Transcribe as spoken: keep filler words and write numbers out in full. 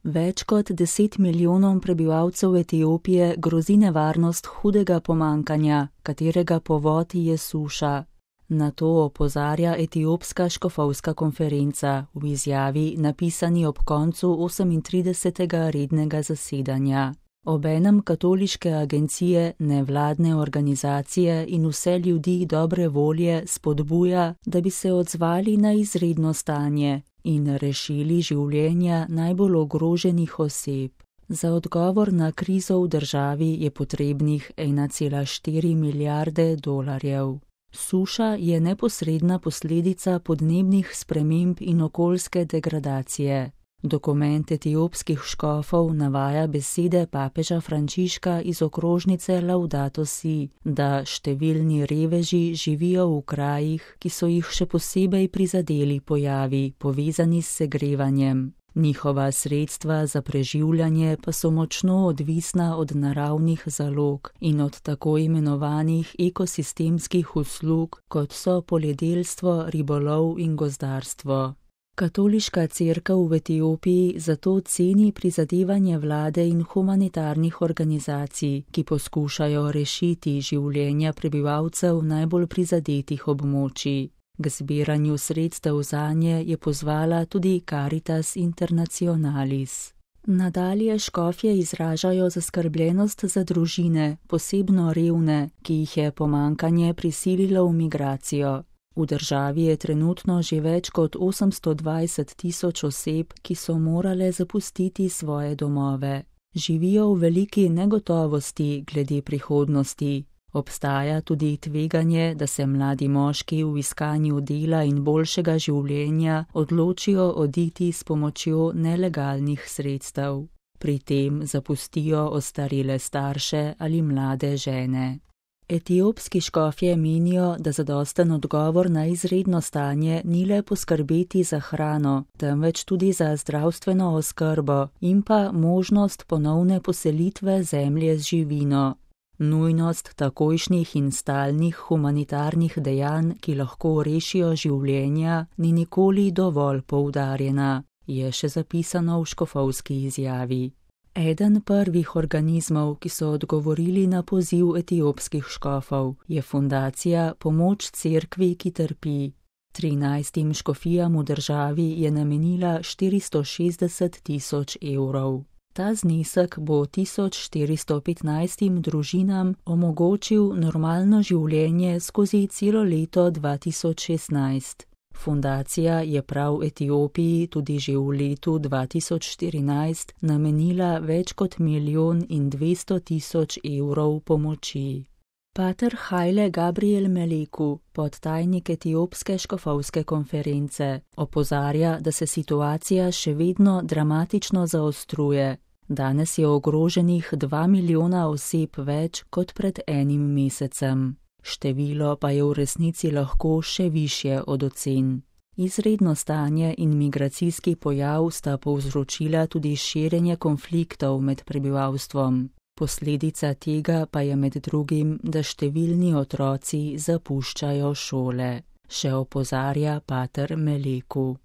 Več kot deset milijonom prebivalcev Etiopije grozi nevarnost hudega pomankanja, katerega povod je suša. Na to opozarja Etiopska škofovska konferenca v izjavi, napisani ob koncu osemintridesetega rednega zasedanja. Obenem katoliške agencije, nevladne organizacije in vse ljudi dobre volje spodbuja, da bi se odzvali na izredno stanje in rešili življenja najbolj ogroženih oseb. Za odgovor na krizo v državi je potrebnih ena cela štiri milijarde dolarjev. Suša je neposredna posledica podnebnih sprememb in okoljske degradacije. Dokument etiopskih škofov navaja besede papeža Frančiška iz okrožnice Laudato Si, da številni reveži živijo v krajih, ki so jih še posebej prizadeli pojavi, povezani s segrevanjem. Njihova sredstva za preživljanje pa so močno odvisna od naravnih zalog in od tako imenovanih ekosistemskih uslug, kot so poljedelstvo, ribolov in gozdarstvo. Katoliška cerkev v Etiopiji zato ceni prizadevanje vlade in humanitarnih organizacij, ki poskušajo rešiti življenja prebivalcev najbolj prizadetih območij. K zbiranju sredstev zanje je pozvala tudi Caritas Internationalis. Nadalje škofje izražajo zaskrbljenost za družine, posebno revne, ki jih je pomankanje prisililo v migracijo. V državi je trenutno že več kot osemsto dvajset tisoč oseb, ki so morale zapustiti svoje domove. Živijo v veliki negotovosti glede prihodnosti. Obstaja tudi tveganje, da se mladi moški v iskanju dela in boljšega življenja odločijo oditi s pomočjo nelegalnih sredstev. Pri tem zapustijo ostarele starše ali mlade žene. Etiopski škofje menijo, da zadosten odgovor na izredno stanje ni le poskrbeti za hrano, temveč tudi za zdravstveno oskrbo in pa možnost ponovne poselitve zemlje z živino. Nujnost takojšnjih in stalnih humanitarnih dejanj, ki lahko rešijo življenja, ni nikoli dovolj poudarjena, je še zapisano v škofovski izjavi. Eden prvih organizmov, ki so odgovorili na poziv etiopskih škofov, je fundacija Pomoč cerkvi, ki trpi. Trinajstim škofijam v državi je namenila štiristo šestdeset tisoč evrov. Ta znesek bo tisoč štiristo petnajstim družinam omogočil normalno življenje skozi celo leto dva tisoč šestnajst. Fundacija je prav Etiopiji tudi že v letu dva tisoč štirinajst namenila več kot milijon in dvesto tisoč evrov pomoči. Pater Haile Gabriel Meleku, podtajnik Etiopske škofovske konference, opozarja, da se situacija še vedno dramatično zaostruje. Danes je ogroženih dva milijona oseb več kot pred enim mesecem. Število pa je v resnici lahko še višje od ocen. Izredno stanje in migracijski pojav sta povzročila tudi širjenje konfliktov med prebivalstvom. Posledica tega pa je med drugim, da številni otroci zapuščajo šole, še opozarja pater Meleku.